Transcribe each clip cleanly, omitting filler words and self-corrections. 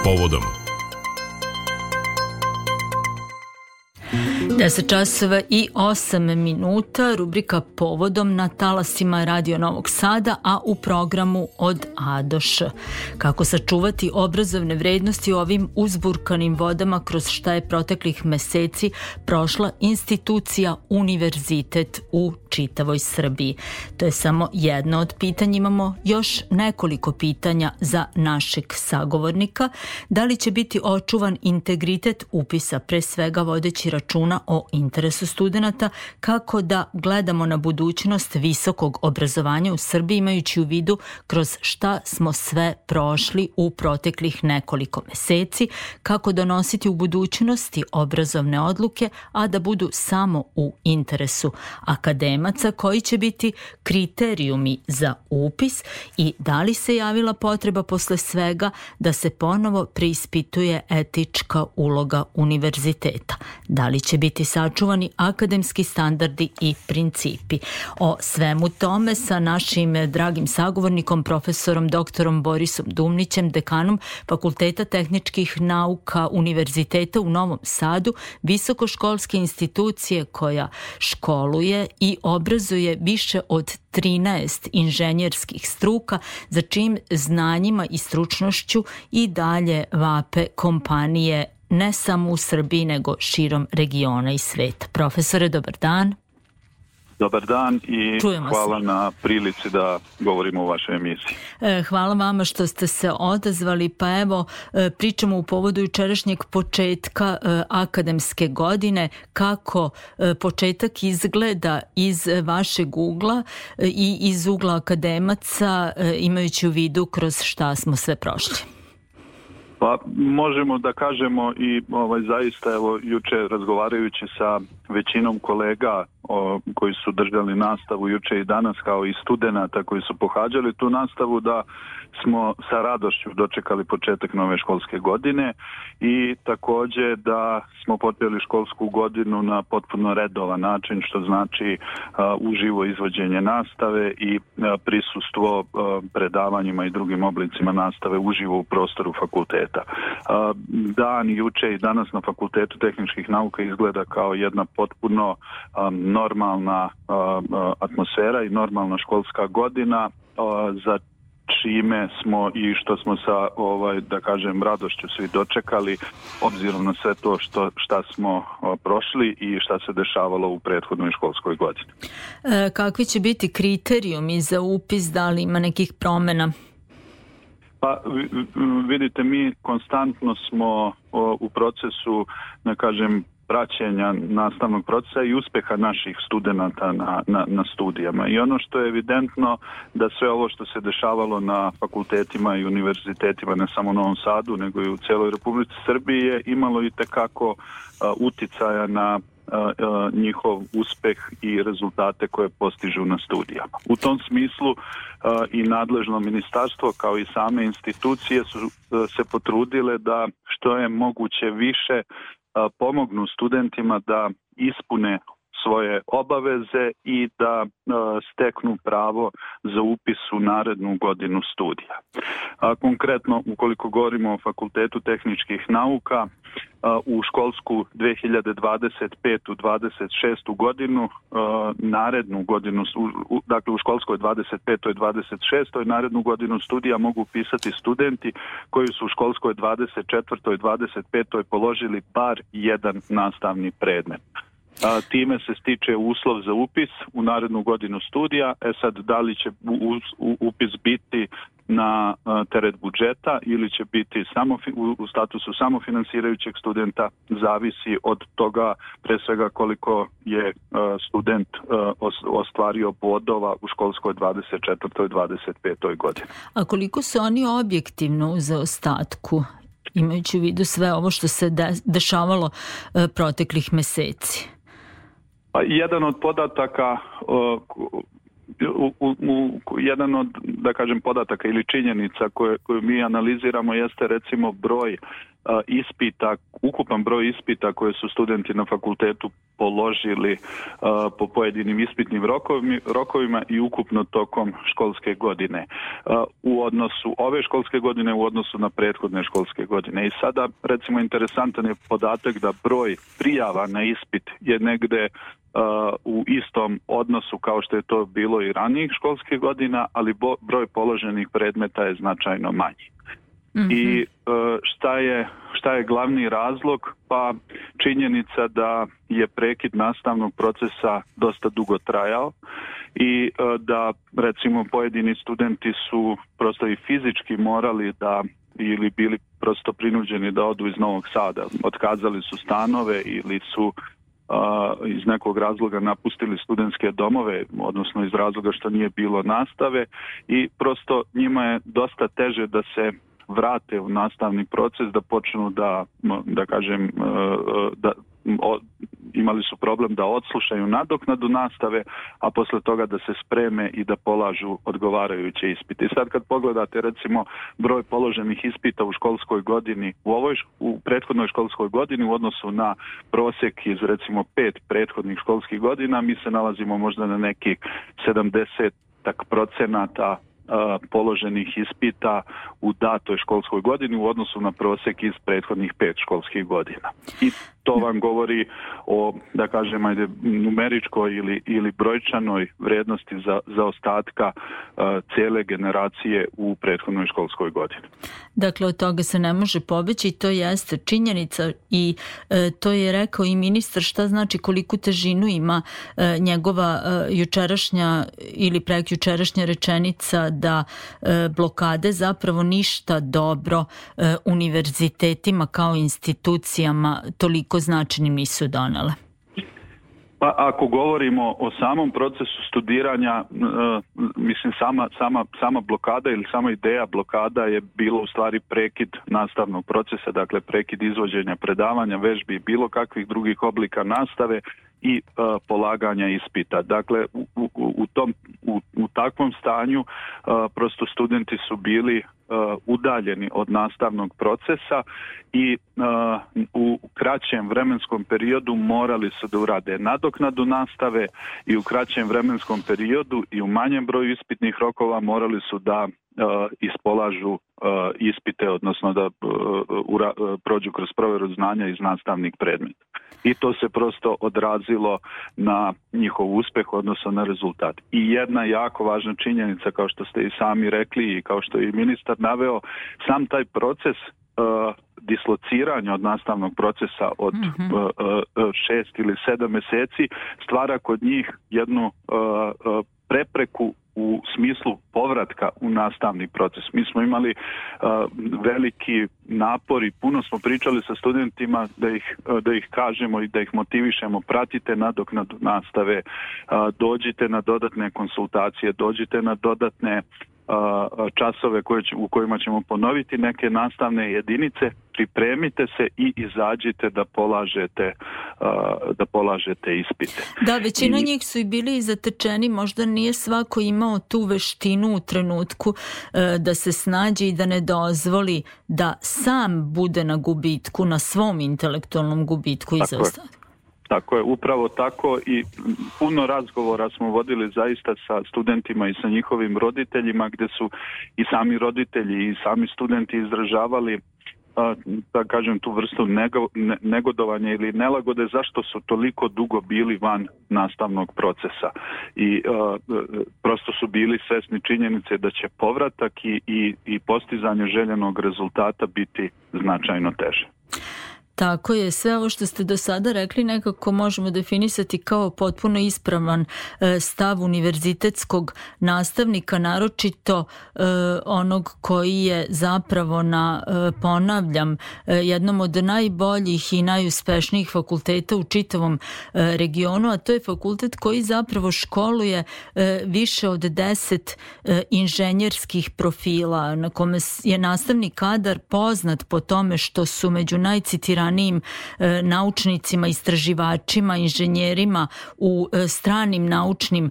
povodom. 10 časova i 8 minuta, rubrika Povodom na talasima Radio Novog Sada, a u programu Od A do Š. Kako sačuvati obrazovne vrednosti u ovim uzburkanim vodama kroz šta je proteklih meseci prošla institucija univerzitet u čitavoj Srbiji. To je samo jedno od pitanja. Imamo još nekoliko pitanja za našeg sagovornika. Da li će biti očuvan integritet upisa, pre svega vodeći računa o interesu studenata, kako da gledamo na budućnost visokog obrazovanja u Srbiji, imajući u vidu kroz šta smo sve prošli u proteklih nekoliko meseci, kako donositi u budućnosti obrazovne odluke, a da budu samo u interesu akademaca, koji će biti kriterijumi za upis i da li se javila potreba posle svega da se ponovo preispituje etička uloga univerziteta. Da li će biti sačuvani akademski standardi i principi. O svemu tome sa našim dragim sagovornikom, profesorom doktorom Borisom Dumnićem, dekanom Fakulteta tehničkih nauka Univerziteta u Novom Sadu, visokoškolske institucije koja školuje i obrazuje više od 13 inženjerskih struka, za čijim znanjima i stručnošću i dalje vape kompanije ne samo u Srbiji, nego širom regiona i sveta. Profesore, dobar dan. Dobar dan i hvala na prilici da govorimo u vašoj emisiji. Hvala vama što ste se odazvali. Pa evo, pričamo u povodu jučerašnjeg početka akademske godine. Kako početak izgleda iz vašeg ugla i iz ugla akademaca, imajući u vidu kroz šta smo sve prošli? Pa možemo da kažemo i zaista evo juče razgovarajući sa većinom kolega koji su držali nastavu juče i danas, kao i studenata koji su pohađali tu nastavu, da smo sa radošću dočekali početak nove školske godine i također da smo počeli školsku godinu na potpuno redovan način, što znači uživo izvođenje nastave i prisustvo predavanjima i drugim oblicima nastave uživo u prostoru fakulteta. Dan juče i danas na Fakultetu tehničkih nauka izgleda kao jedna potpuno normalna atmosfera i normalna školska godina, za čime smo i što smo sa da kažem radošću svi dočekali, obzirom na sve to šta smo prošli i šta se dešavalo u prethodnoj školskoj godini. Kakvi će biti kriterijumi za upis, da li ima nekih promjena? Pa vidite, mi konstantno smo u procesu, da kažem, praćenja nastavnog procesa i uspeha naših studenata na studijama. I ono što je evidentno da sve ovo što se dešavalo na fakultetima i univerzitetima, ne samo u Novom Sadu, nego i u cijeloj Republici Srbiji, je imalo i tekako uticaja na njihov uspeh i rezultate koje postižu na studijama. U tom smislu i nadležno ministarstvo kao i same institucije su se potrudile da što je moguće više pomognu studentima da ispune svoje obaveze i da steknu pravo za upis u narednu godinu studija. Konkretno, ukoliko govorimo o Fakultetu tehničkih nauka, u školsku 2025-26 godinu, narednu godinu, dakle u školskoj 25. 26. narednu godinu studija mogu upisati studenti koji su u školskoj 24. 25. položili bar jedan nastavni predmet. Time se stiče uslov za upis u narednu godinu studija. Sad, da li će upis biti na teret budžeta ili će biti samo u statusu samofinansirajućeg studenta, zavisi od toga pre svega koliko je student ostvario bodova u školskoj 24. i 25. godini. A koliko su oni objektivno u zaostatku, imajući u vidu sve ovo što se dešavalo proteklih meseci? Pa jedan od podataka jedan od, da kažem, podataka ili činjenica koju mi analiziramo jeste recimo broj ispita, ukupan broj ispita koje su studenti na fakultetu položili po pojedinim ispitnim rokovima i ukupno tokom školske godine. U odnosu ove školske godine u odnosu na prethodne školske godine. I sada recimo interesantan je podatak da broj prijava na ispit je negde u istom odnosu kao što je to bilo i ranijih školskih godina, ali broj položenih predmeta je značajno manji. Mm-hmm. I šta je glavni razlog? Pa činjenica da je prekid nastavnog procesa dosta dugo trajao i da recimo pojedini studenti su prosto i fizički morali da ili bili prosto prinuđeni da odu iz Novog Sada. Otkazali su stanove ili su iz nekog razloga napustili studentske domove, odnosno iz razloga što nije bilo nastave i prosto njima je dosta teže da se vrate u nastavni proces, da počnu da kažem, imali su problem da odslušaju nadoknadu nastave, a posle toga da se spreme i da polažu odgovarajuće ispite. I sad kad pogledate recimo broj položenih ispita u školskoj godini, u prethodnoj školskoj godini u odnosu na prosjek iz recimo 5 prethodnih školskih godina, mi se nalazimo možda na nekih 70% položenih ispita u datoj školskoj godini u odnosu na prosjek iz prethodnih 5 školskih godina. I to vam govori o, da kažem, numeričkoj ili brojčanoj vrijednosti za ostatka cijele generacije u prethodnoj školskoj godini. Dakle, od toga se ne može pobeći i to jeste činjenica i to je rekao i ministar šta znači koliku težinu ima njegova jučerašnja ili prekjučerašnja rečenica da blokade zapravo ništa dobro univerzitetima kao institucijama toliko značajnim nisu donele. Pa ako govorimo o samom procesu studiranja, mislim sama blokada ili sama ideja blokada je bilo u stvari prekid nastavnog procesa, dakle prekid izvođenja predavanja, vežbi i bilo kakvih drugih oblika nastave i polaganja ispita. Dakle, u takvom stanju prosto studenti su bili udaljeni od nastavnog procesa i u kraćem vremenskom periodu morali su da urade nadoknadu nastave i u kraćem vremenskom periodu i u manjem broju ispitnih rokova morali su da ispolažu ispite, odnosno da prođu kroz provjeru znanja iz nastavnih predmeta. I to se prosto odrazilo na njihov uspeh, odnosno na rezultat. I jedna jako važna činjenica, kao što ste i sami rekli i kao što je i ministar naveo, sam taj proces dislociranja od nastavnog procesa od 6 ili 7 mjeseci stvara kod njih jednu prepreku u smislu povratka u nastavni proces. Mi smo imali veliki napor i puno smo pričali sa studentima da ih kažemo i da ih motivišemo, pratite nadoknadu nastave, dođite na dodatne konsultacije, dođite na dodatne časove u kojima ćemo ponoviti neke nastavne jedinice, pripremite se i izađite da polažete ispite. Da, većina njih su i bili zatečeni, možda nije svako imao tu veštinu u trenutku da se snađe i da ne dozvoli da sam bude na gubitku, na svom intelektualnom gubitku i zaostatku. Tako je, upravo tako i puno razgovora smo vodili zaista sa studentima i sa njihovim roditeljima gdje su i sami roditelji i sami studenti izražavali da kažem tu vrstu negodovanja ili nelagode zašto su toliko dugo bili van nastavnog procesa i prosto su bili svesni činjenice da će povratak i postizanje željenog rezultata biti značajno teže. Tako je, sve ovo što ste do sada rekli nekako možemo definisati kao potpuno ispravan stav univerzitetskog nastavnika, naročito onog koji je zapravo na, ponavljam, jednom od najboljih i najuspešnijih fakulteta u čitavom regionu, a to je fakultet koji zapravo školuje više od 10 inženjerskih profila, na kome je nastavni kadar poznat po tome što su među najcitiranijim najtalentiranijim naučnicima, istraživačima, inženjerima u stranim naučnim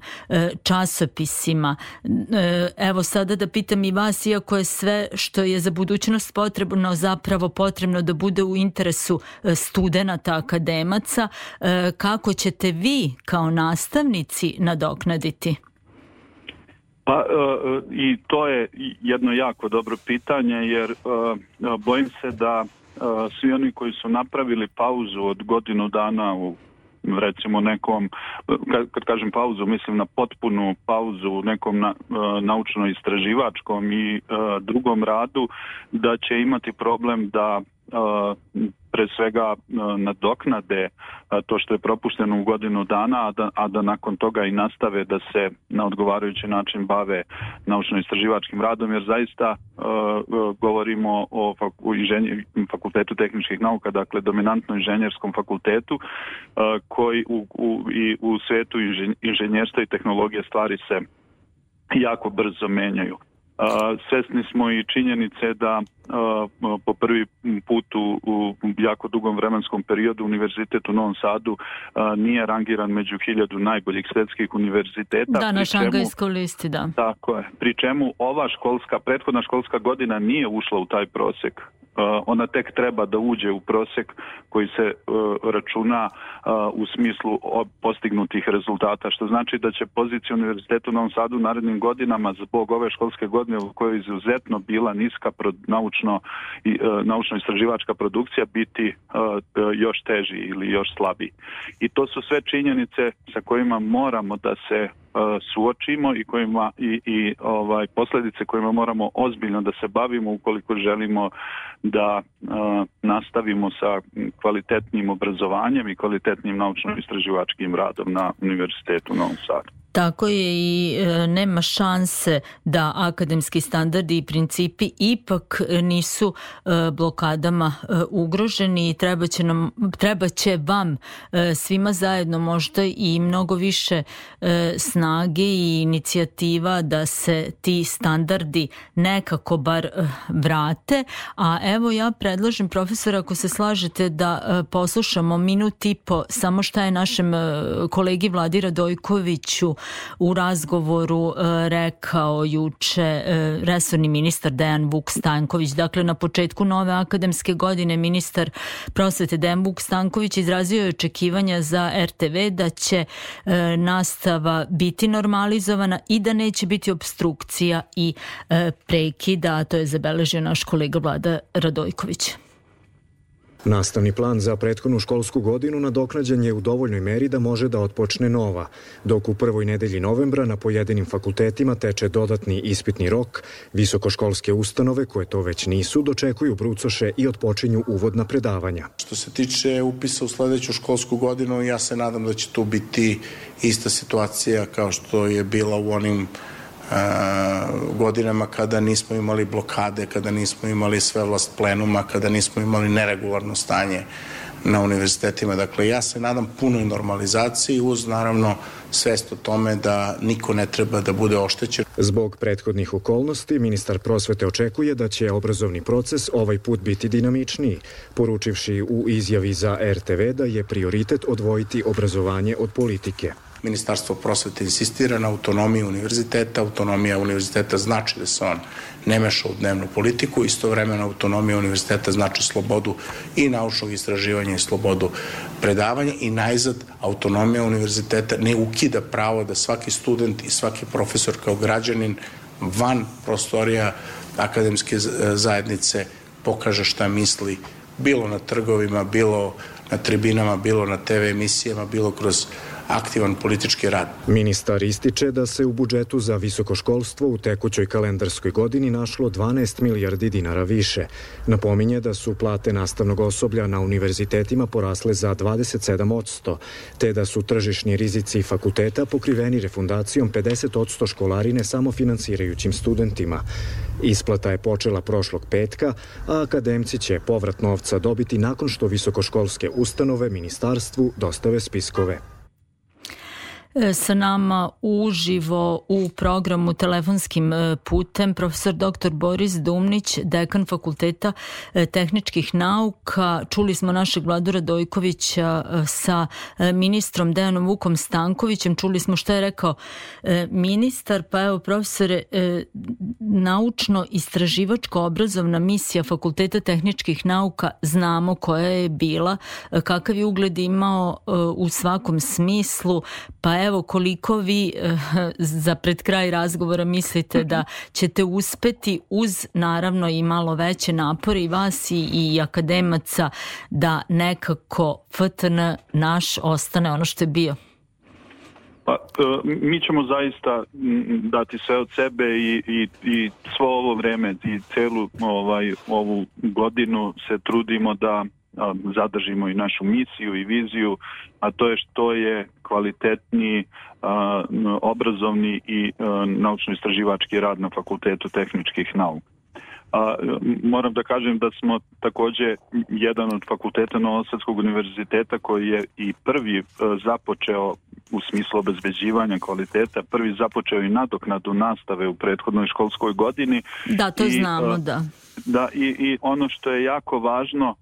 časopisima. Evo sada da pitam i vas, iako je sve što je za budućnost potrebno zapravo potrebno da bude u interesu studenata, akademaca, kako ćete vi kao nastavnici nadoknaditi? Pa i to je jedno jako dobro pitanje, jer bojim se da svi oni koji su napravili pauzu od godinu dana u recimo nekom, kad kažem pauzu, mislim na potpunu pauzu u nekom naučno-istraživačkom i drugom radu, da će imati problem da pre svega nadoknade to što je propušteno u godinu dana, a da nakon toga i nastave da se na odgovarajući način bave naučno-istraživačkim radom, jer zaista govorimo o Fakultetu tehničkih nauka, dakle dominantno inženjerskom fakultetu, koji i u svetu inženjerstva i tehnologije stvari se jako brzo menjaju. Svesni smo i činjenice da po prvi put u jako dugom vremenskom periodu Univerzitet u Novom Sadu nije rangiran među 1000 najboljih svetskih univerziteta. Da, na šangajskoj listi, da. Tako je. Pri čemu prethodna školska godina nije ušla u taj prosek. Ona tek treba da uđe u prosek koji se računa u smislu postignutih rezultata, što znači da će pozicija Univerziteta u Novom Sadu u narednim godinama zbog ove školske godine u kojoj je izuzetno bila niska naučno-istraživačka produkcija biti još teži ili još slabiji. I to su sve činjenice sa kojima moramo da se suočimo i kojima i posljedice kojima moramo ozbiljno da se bavimo ukoliko želimo da nastavimo sa kvalitetnim obrazovanjem i kvalitetnim naučno-istraživačkim radom na Univerzitetu u Novom Sadu. Tako je i nema šanse da akademski standardi i principi ipak nisu blokadama ugroženi i treba će vam svima zajedno možda i mnogo više snage i inicijativa da se ti standardi nekako bar vrate. A evo ja predlažem, profesor, ako se slažete da poslušamo minut i po samo šta je našem kolegi Vladi Radojkoviću u razgovoru rekao juče resorni ministar Dejan Vuk Stanković. Dakle, na početku nove akademske godine ministar prosvete Dejan Vuk Stanković izrazio je očekivanja za RTV da će nastava biti normalizovana i da neće biti opstrukcija i prekida, a to je zabeležio naš kolega Vlada Radojković. Nastavni plan za prethodnu školsku godinu nadoknađen je u dovoljnoj meri da može da otpočne nova, dok u prvoj nedelji novembra na pojedinim fakultetima teče dodatni ispitni rok, visokoškolske ustanove koje to već nisu dočekuju brucoše i otpočinju uvodna predavanja. Što se tiče upisa u sledeću školsku godinu, ja se nadam da će tu biti ista situacija kao što je bila u onim godinama kada nismo imali blokade, kada nismo imali svevlast plenuma, kada nismo imali neregularno stanje na univerzitetima. Dakle, ja se nadam punoj normalizaciji uz naravno svest o tome da niko ne treba da bude oštećen. Zbog prethodnih okolnosti, ministar prosvete očekuje da će obrazovni proces ovaj put biti dinamičniji, poručivši u izjavi za RTV da je prioritet odvojiti obrazovanje od politike. Ministarstvo prosvete insistira na autonomiji univerziteta. Autonomija univerziteta znači da se on ne meša u dnevnu politiku. Istovremeno autonomija univerziteta znači slobodu i naučnog istraživanja i slobodu predavanja. I najzad, autonomija univerziteta ne ukida pravo da svaki student i svaki profesor kao građanin van prostorija akademske zajednice pokaže šta misli, bilo na trgovima, bilo na tribinama, bilo na TV emisijama, bilo kroz aktivan politički rad. Ministar ističe da se u budžetu za visoko školstvo u tekućoj kalendarskoj godini našlo 12 milijardi dinara više. Napominje da su plate nastavnog osoblja na univerzitetima porasle za 27%, te da su tržišni rizici fakulteta pokriveni refundacijom 50% školarine samofinansirajućim studentima. Isplata je počela prošlog petka, a akademci će povrat novca dobiti nakon što visokoškolske ustanove ministarstvu dostave spiskove. Sa nama uživo u programu telefonskim putem profesor dr. Boris Dumnić, dekan Fakulteta tehničkih nauka. Čuli smo našeg Vladu Radojkovića sa ministrom Dejanom Vukom Stankovićem. Čuli smo što je rekao ministar. Pa evo, profesore, naučno-istraživačko obrazovna misija Fakulteta tehničkih nauka znamo koja je bila, kakav je ugled imao u svakom smislu. Pa evo, koliko vi za pred kraj razgovora mislite da ćete uspeti uz naravno i malo veće napore i vas i akademaca da nekako FTN naš ostane ono što je bio? Pa, mi ćemo zaista dati sve od sebe i svo ovo vreme i celu ovu godinu se trudimo da zadržimo i našu misiju i viziju, a to je što je kvalitetniji obrazovni i naučno-istraživački rad na Fakultetu tehničkih nauka. Moram da kažem da smo također jedan od fakulteta Novosadskog univerziteta koji je i prvi započeo u smislu obezbeđivanja kvaliteta, prvi započeo i nadoknadu nastave u prethodnoj školskoj godini. Da, to znamo, da. Da, i ono što je jako važno,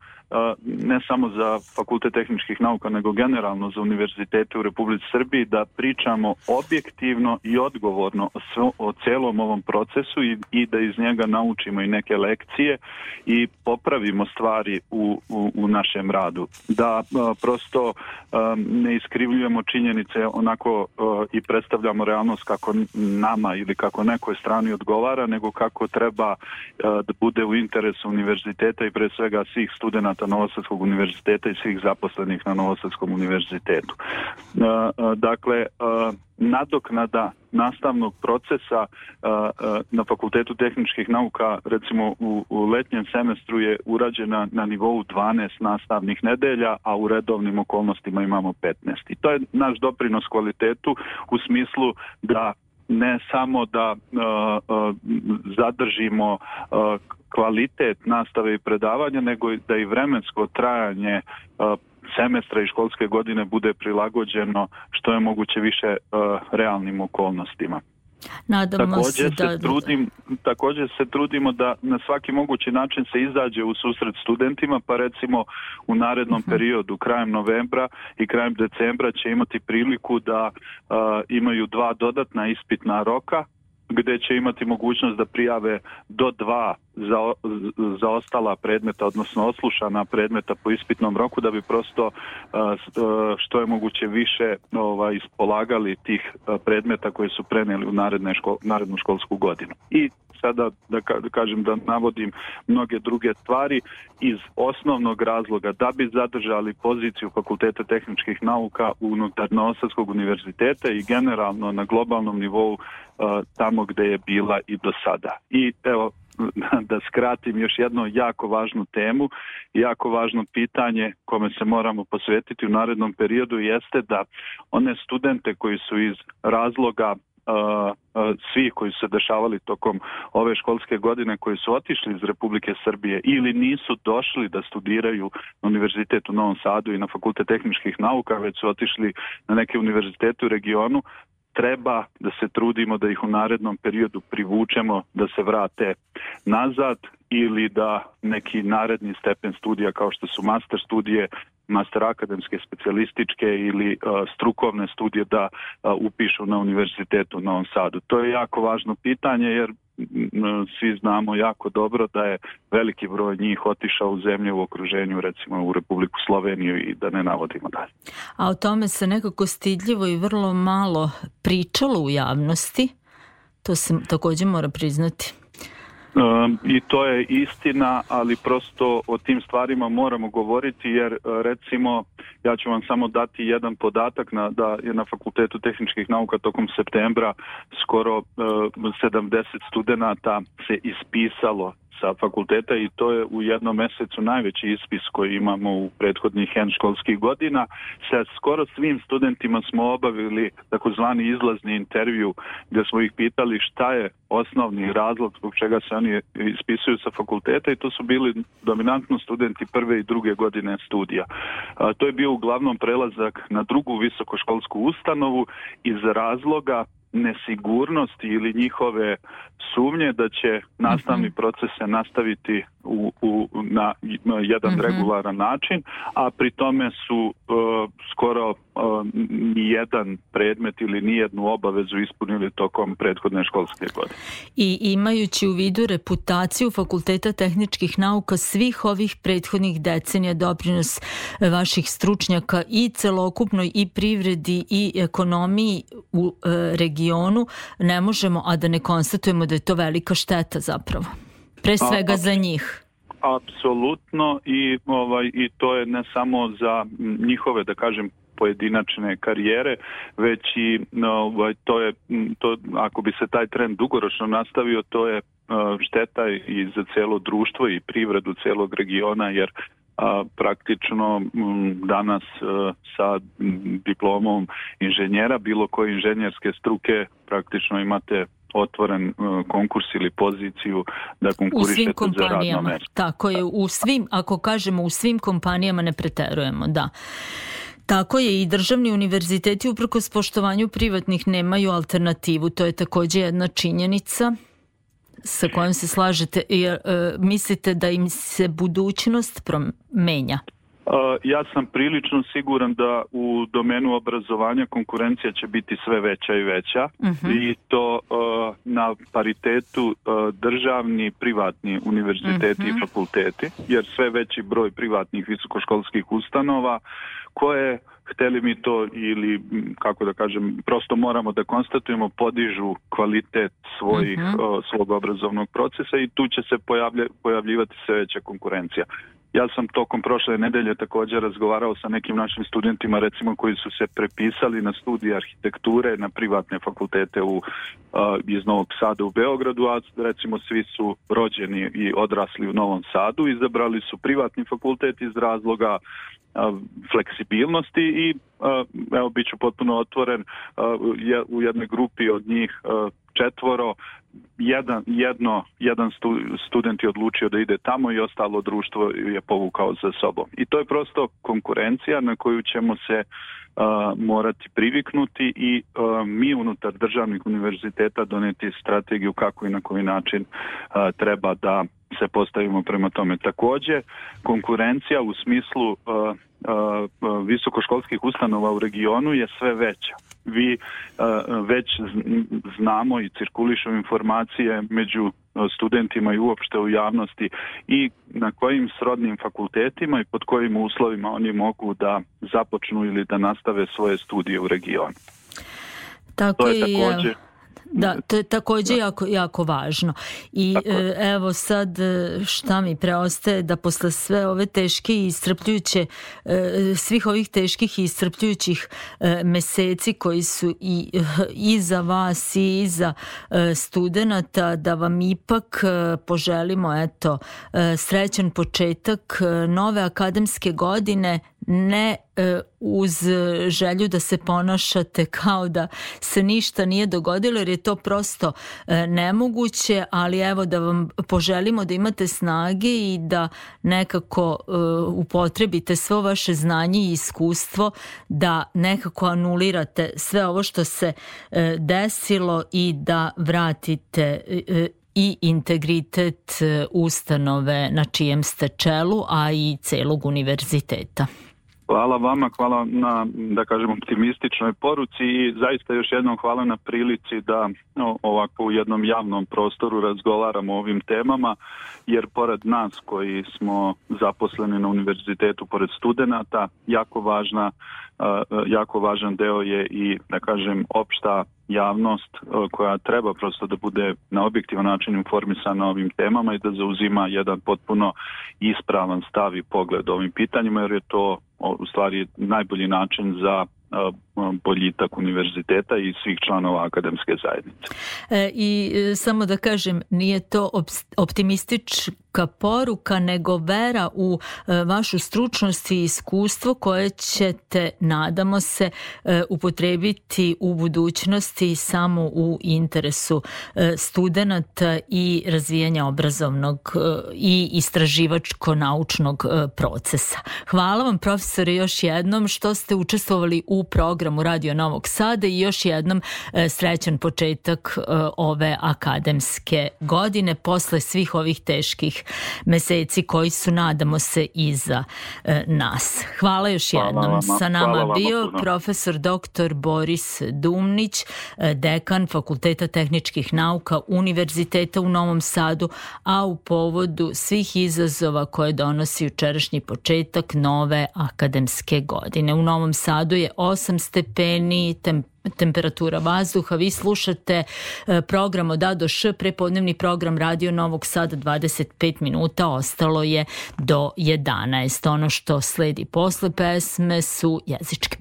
ne samo za Fakultet tehničkih nauka, nego generalno za univerzitete u Republici Srbiji, da pričamo objektivno i odgovorno o celom ovom procesu i da iz njega naučimo i neke lekcije i popravimo stvari u našem radu. Da prosto ne iskrivljujemo činjenice onako i predstavljamo realnost kako nama ili kako nekoj strani odgovara, nego kako treba da bude u interesu univerziteta i pre svega svih studenata Novosadskog univerziteta i svih zaposlenih na Novosadskom univerzitetu. Dakle, nadoknada nastavnog procesa na Fakultetu tehničkih nauka, recimo u letnjem semestru je urađena na nivou 12 nastavnih nedelja, a u redovnim okolnostima imamo 15. I to je naš doprinos kvalitetu u smislu da ne samo da zadržimo kvalitet nastave i predavanja, nego da i vremensko trajanje semestra i školske godine bude prilagođeno što je moguće više realnim okolnostima. Također se trudimo da na svaki mogući način se izađe u susret studentima, pa recimo u narednom periodu, krajem novembra i krajem decembra će imati priliku da imaju 2 dodatna ispitna roka, gdje će imati mogućnost da prijave do 2 za ostala predmeta, odnosno oslušana predmeta po ispitnom roku, da bi prosto što je moguće više ispolagali tih predmeta koje su prenijeli u narednu školsku godinu. I sada da kažem da navodim mnoge druge stvari iz osnovnog razloga da bi zadržali poziciju Fakulteta tehničkih nauka unutar Novosadskog univerziteta i generalno na globalnom nivou tamo gdje je bila i do sada. I evo, da skratim, još jednu jako važnu temu, jako važno pitanje kome se moramo posvetiti u narednom periodu jeste da one studente koji su iz razloga svi koji su se dešavali tokom ove školske godine, koji su otišli iz Republike Srbije ili nisu došli da studiraju na Univerzitetu u Novom Sadu i na Fakultet tehničkih nauka, već su otišli na neke univerzitete u regionu, treba da se trudimo da ih u narednom periodu privučemo da se vrate nazad ili da neki naredni stepen studija kao što su master studije, master akademske, specijalističke ili strukovne studije da upišu na Univerzitetu u Novom Sadu. To je jako važno pitanje jer svi znamo jako dobro da je veliki broj njih otišao u zemlje u okruženju, recimo u Republiku Sloveniju i da ne navodimo dalje. A o tome se nekako stidljivo i vrlo malo pričalo u javnosti, to se također mora priznati. I to je istina, ali prosto o tim stvarima moramo govoriti jer recimo ja ću vam samo dati jedan podatak da je na Fakultetu tehničkih nauka tokom septembra skoro 70 studenata se ispisalo sa fakulteta i to je u jednom mesecu najveći ispis koji imamo u prethodnih N školskih godina. Sa skoro svim studentima smo obavili takozvani izlazni intervju gdje smo ih pitali šta je osnovni razlog zbog čega se oni ispisuju sa fakulteta i to su bili dominantno studenti prve i druge godine studija. To je bio uglavnom prelazak na drugu visokoškolsku ustanovu iz razloga nesigurnosti ili njihove sumnje da će nastavni proces se nastaviti na jedan regularan način, a pri tome su skoro nijedan predmet ili nijednu obavezu ispunili tokom prethodne školske godine. I imajući u vidu reputaciju Fakulteta tehničkih nauka svih ovih prethodnih decenija, doprinos vaših stručnjaka i celokupnoj i privredi i ekonomiji u regionu, ne možemo a da ne konstatujemo da je to velika šteta zapravo. Pre svega za njih. Apsolutno i to je ne samo za njihove, da kažem, pojedinačne karijere, već i to ako bi se taj trend dugoročno nastavio, to je šteta i za cijelo društvo i privredu cijelog regiona, jer praktično danas sa diplomom inženjera, bilo koje inženjerske struke, praktično imate otvoren konkurs ili poziciju da konkurišete za radno mjesto. Tako je, u svim, ako kažemo u svim kompanijama ne preterujemo, da. Tako je, i državni univerziteti uprkos poštovanju privatnih nemaju alternativu, to je također jedna činjenica sa kojom se slažete. Mislite da im se budućnost promenja? Ja sam prilično siguran da u domenu obrazovanja konkurencija će biti sve veća i veća i to na paritetu državni, privatni univerziteti i fakulteti, jer sve veći broj privatnih visokoškolskih ustanova koje, hteli mi to ili, kako da kažem, prosto moramo da konstatujemo, podižu kvalitet svog obrazovnog procesa i tu će se pojavljivati sve veća konkurencija. Ja sam tokom prošle nedelje također razgovarao sa nekim našim studentima, recimo koji su se prepisali na studije arhitekture na privatne fakultete iz Novog Sada u Beogradu, a recimo svi su rođeni i odrasli u Novom Sadu, izabrali su privatni fakultet iz razloga fleksibilnosti i evo, bit ću potpuno otvoren, u jednoj grupi od njih 4 jedan student je odlučio da ide tamo i ostalo društvo je povukao za sobom. I to je prosto konkurencija na koju ćemo se morati priviknuti i mi unutar državnih univerziteta doneti strategiju kako i na koji način treba da se postavimo prema tome. Također, konkurencija u smislu visokoškolskih ustanova u regionu je sve veća. Vi već znamo i cirkulišu informacije među studentima i uopšte u javnosti i na kojim srodnim fakultetima i pod kojim uslovima oni mogu da započnu ili da nastave svoje studije u regionu. Tako to je također... Da, to je također jako važno. I evo sad šta mi preostaje da posle sve ove teške i iscrpljujuće, svih ovih teških i iscrpljujućih meseci koji su i za vas i za studenata, da vam ipak poželimo srećan početak nove akademske godine, ne uz želju da se ponašate kao da se ništa nije dogodilo, jer je to prosto nemoguće, ali evo da vam poželimo da imate snage i da nekako upotrebite svo vaše znanje i iskustvo, da nekako anulirate sve ovo što se desilo i da vratite i integritet ustanove na čijem ste čelu, a i celog univerziteta. Hvala vama, hvala na, da kažem, optimističnoj poruci i zaista još jednom hvala na prilici da ovako u jednom javnom prostoru razgovaramo o ovim temama, jer pored nas koji smo zaposleni na univerzitetu, pored studenata, jako važan deo je i, da kažem, opšta javnost koja treba prosto da bude na objektivan način informisana o ovim temama i da zauzima jedan potpuno ispravan stav i pogled o ovim pitanjima, jer je to u stvari najbolji način za boljitak univerziteta i svih članova akademske zajednice. I samo da kažem, nije to optimistička poruka, nego vera u vašu stručnost i iskustvo koje ćete, nadamo se, upotrebiti u budućnosti samo u interesu studenata i razvijanja obrazovnog i istraživačko-naučnog procesa. Hvala vam, profesore, još jednom što ste učestvovali u programu Radio Novog Sada i još jednom srećan početak ove akademske godine posle svih ovih teških meseci koji su, nadamo se, iza nas. Hvala još jednom. Sa nama bio profesor dr. Boris Dumnić, dekan Fakulteta tehničkih nauka Univerziteta u Novom Sadu, a u povodu svih izazova koje donosi jučerašnji početak nove akademske godine. U Novom Sadu je 8 stepeni, temperatura vazduha. Vi slušate program od A do Š, prepodnevni program Radio Novog Sada, 25 minuta, ostalo je do 11. Ono što sledi posle pesme su jezičke